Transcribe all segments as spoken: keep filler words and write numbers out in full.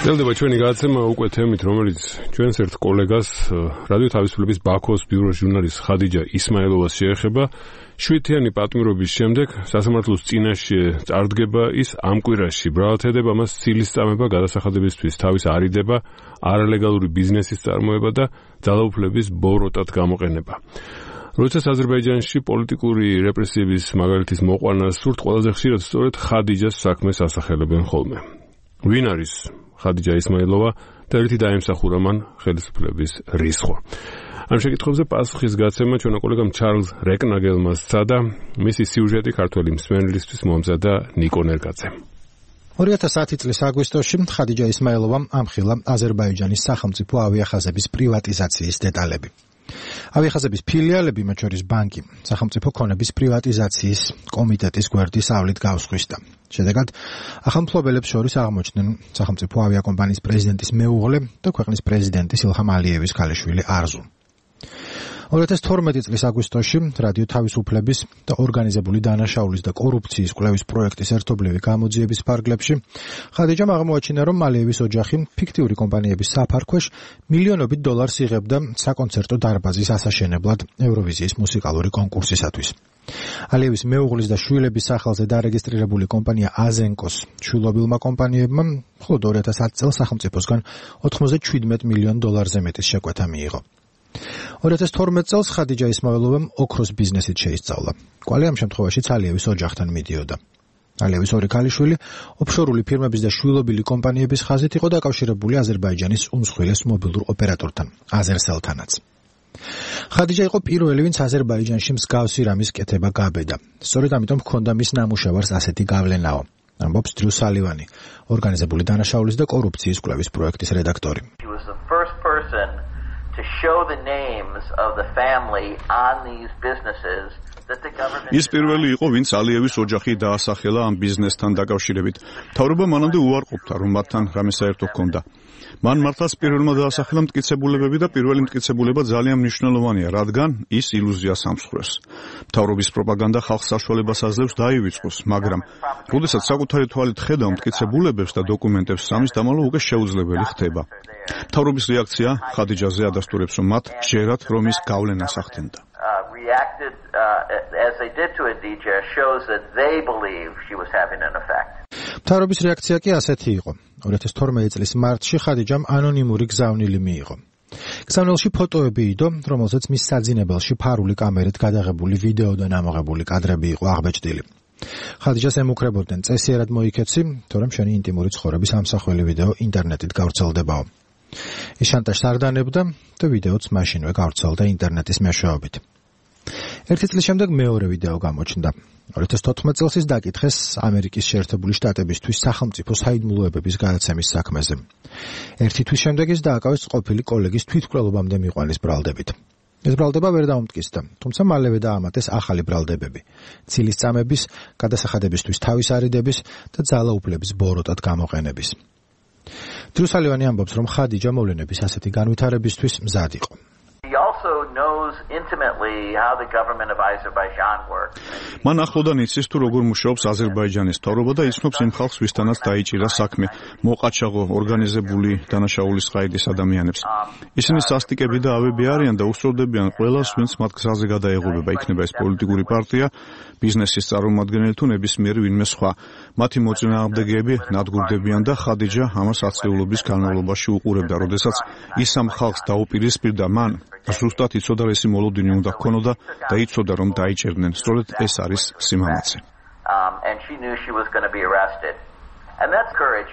გრძელდება ჩვენი გადაცემა უკვე თემით, რომელიც ჩვენს ერთ კოლეგას, რადიო თავისუფლების ბაქოს ბიუროს ჟურნალისტ ხადიჯა ისმაილოვას შეეხება. შვიდთიანი პატიმრობის შემდეგ სასამართლოს წინაშე წარდგება ის ამ კვირაში. ბრალათედება მას ცილის წამება გადასახადებისთვის თავის არიდება, არალეგალური ბიზნესის წარმოება და ძალაუფლების ბოროტად გამოყენება. როდესაც აზერბაიჯანში პოლიტიკური რეპრესიების მაგალითის მოყვანა სურთ, ყველაზე ხშირად სწორედ ხადიჯას საქმეს ასახელებენ ხოლმე. ვინ არის ხადიჯა ისმაილოვა და ერთი დაემსახურა მან ხელისუფლების რისხვა. ამ შეკითხვებზე პასუხის გაცემა ჩვენო კოლეგამ ჩარლზ რეკნაგელმა სცადა. მისი სიუჟეტი ქართველი მსმენელისთვის მომზადა ნიკო ნერგაძემ. ორი ათას ათი წლის აგვისტოში ხადიჯა ისმაილოვამ ამხილა აზერბაიჯანის სახელმწიფო ავიახაზების პრივატიზაციის დეტალები. ავიახაზების ფილიალები, მათ შორის ბანკი, სახელმწიფო ქონების პრივატიზაციის კომიტეტის გვერდის ავლით გავსხვისდა. შედეგად, ახალმფლობელებს შორის აღმოჩნდნენ სახელმწიფო ავიაკომპანიის პრეზიდენტის მეუღლე და ქვეყნის პრეზიდენტის ილჰამ ალიევის ქალიშვილი არზუ. ორი ათას თორმეტი წლის აგვისტოში რადიო თავისუფლების და ორგანიზებული დანაშაულის და კორუფციის კვლევის პროექტის ერთობლივი გამოძიების ფარგლებში ხადიჯამ აღმოაჩინა, რომ ალიევის ოჯახი ფიქტიური კომპანიების საფარქვეშ მილიონობით დოლარს იღებდა საკონცერტო დარბაზის ასაშენებლად ევროვიზიის მუსიკალური კონკურსისათვის. ალიევის მეუღლის და შვილების სახელზე დარეგისტრირებული კომპანია აზენკოს შვილობილმა კომპანიებმა მხოლოდ ორი ათას ათი წელს სახელმწიფოსგან ოთხმოცდაშვიდმეტ მილიონ დოლარზე მეტის შეკვეთა მიიღო. ორი ათას თორმეტ წელს ხადიჯა ისმაილოვამ ოქროს ბიზნესით შეისწავლა. კვალი ამ შემთხვევაშიც ალიევის ოჯახთან მიდიოდა. ალიევის ორი ქალიშვილი ოფშორული ფირმების და შვილობილი კომპანიების ხაზით იყო დაკავშირებული აზერბაიჯანის უმსხვილეს მობილურ ოპერატორთან, აზერსელთანაც. ხადიჯა იყო პირველი, ვინც აზერბაიჯანში მსგავსი რამის კეთება გაბედა. სწორედ ამიტომ ჰქონდა მის ნამუშევარს ასეთი გავლენაო. ამბობს დრუ სალივანი, ორგანიზებული დანაშაულის და კორუფციის კვლევის პროექტის რედაქტორი. To show the names of the family on these businesses that the government ის პირველი იყო, ვინც ალიევის ოჯახი დაასახელა ამ ბიზნესთან დაკავშირებით. მთავრობა მანამდე უარყოფდა, რომ მათთან რამე საერთო ჰქონდა. მან მართლაც პირველმა დაასახელა მტკიცებულებები და პირველი მტკიცებულება ძალიან მნიშვნელოვანია, რადგან ის ილუზიას ამსხვრევს. მთავრობის პროპაგანდა ხალხს საშუალებას აძლევს დაივიწყოს, მაგრამ როდესაც საკუთარი თვალით ხედავ მტკიცებულებებს და დოკუმენტებს, სამის დამალვა უკვე შეუძლებელი ხდება. მთავრობის რეაქცია ხადიჯაზე ადასტურებს, რომ მათ ჯერათ, რომ ის გავლენას ახდენდა. reacted uh, as they did to Khadija shows that they believe she was having an effect. მთავრობის რეაქცია კი ასეთი იყო. ორი ათას თორმეტი წლის მარტში ხადიჯამ ანონიმური გზავნილი მიიღო. გზავნილში ფოტოები იდო, რომელზეც მის საძინებელში ფარული კამერით გადაღებული ვიდეო და ნამოღებული კადრები იყო აღბეჭდილი. ხადიჯას ემუქრებოდნენ წესიერად მოიქეცი, თორემ შენი ინტიმური ცხოვრების ამსახველი ვიდეო ინტერნეტით გავრცელდებაო. ის შანტაჟს არ დანებდა და ვიდეოც მაშინვე გავრცელდა ინტერნეტის მეშვეობით. ერთი წლის შემდეგ მეორე ვიდეო გამოჩნდა. ორი ათას თოთხმეტ წელს ის დაკითხეს ამერიკის შეერთებული შტატებისთვის სახელმწიფო საიდუმლოებების გადაცემის საქმეზე. ერთი თვის შემდეგ ის დააკავეს ყოფილი კოლეგის თვითმკვლელობამდე მიყვანის ბრალდებით. ეს ბრალდება ვერ დაუმტკიცდა, თუმცა მალევე დაამატეს ახალი ბრალდებები, ცილის წამების, გადასახადებისთვის თავის არიდების და ძალაუფლების ბოროტად გამოყენების. დრუ სალივანი ამბობს, რომ ხადიჯა მოვლენების ასეთი განვითარებისთვის მზად იყო. He also knows intimately how the government of Azerbaijan works. მან ახლოდან იცის თუ როგორ მუშაობს აზერბაიჯანის მთავრობა და იცნობს იმ ხალხს, ვისთანაც დაიჭირა საქმე, მოყაჩაღო ორგანიზებული დანაშაულის ყაიდის ადამიანებს. ისინი სასტიკები და ავები არიან და უსწორდებიან ყველას, ვინც მათ გზაზე გადაეღობება, იქნება ეს პოლიტიკური პარტია, ბიზნესის წარმომადგენელი თუ ნებისმიერი ვინმე სხვა. მათი მოწინააღმდეგეები ნადგურდებიან და ხადიჯა ამას ათწლეულობის განმავლობაში უყურებდა, როდესაც ის ამ ხალხს დაუპირისპირდა, მან ზუსტად იცოდა, ეს მოლოდინი უნდა ჰქონოდა და იცოდა, რომ დაიჭერდნენ. სწორედ ეს არის სიმამაცე. Um, and she knew she was going to be arrested. And that's courage.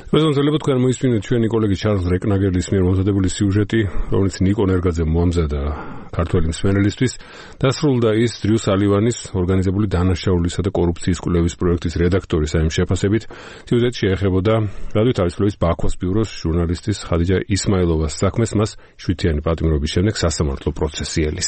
მეზონზელებო თქვენ მოისმინეთ ჩვენი კოლეგი ჩარლზ რეკნაგელის მიერ მომზადებული სიუჟეტი, რომელიც ნიკო ნერგაძე მომზადა ქართველი მსმენელისთვის. დასრულდა ის დრუ სალივანის ორგანიზებული დანაშაულისა და კორუფციის კვლევის პროექტის რედაქტორის ამ შეფასებით. სიუჟეტი შეეხებოდა რადიო თავისუფლების ბაქოს ბიუროს ჟურნალისტის ხადიჯა ისმაილოვას საქმეს, მას შვიდთიანი პატიმრობის შემდეგ სასამართლო პროცესი ელის.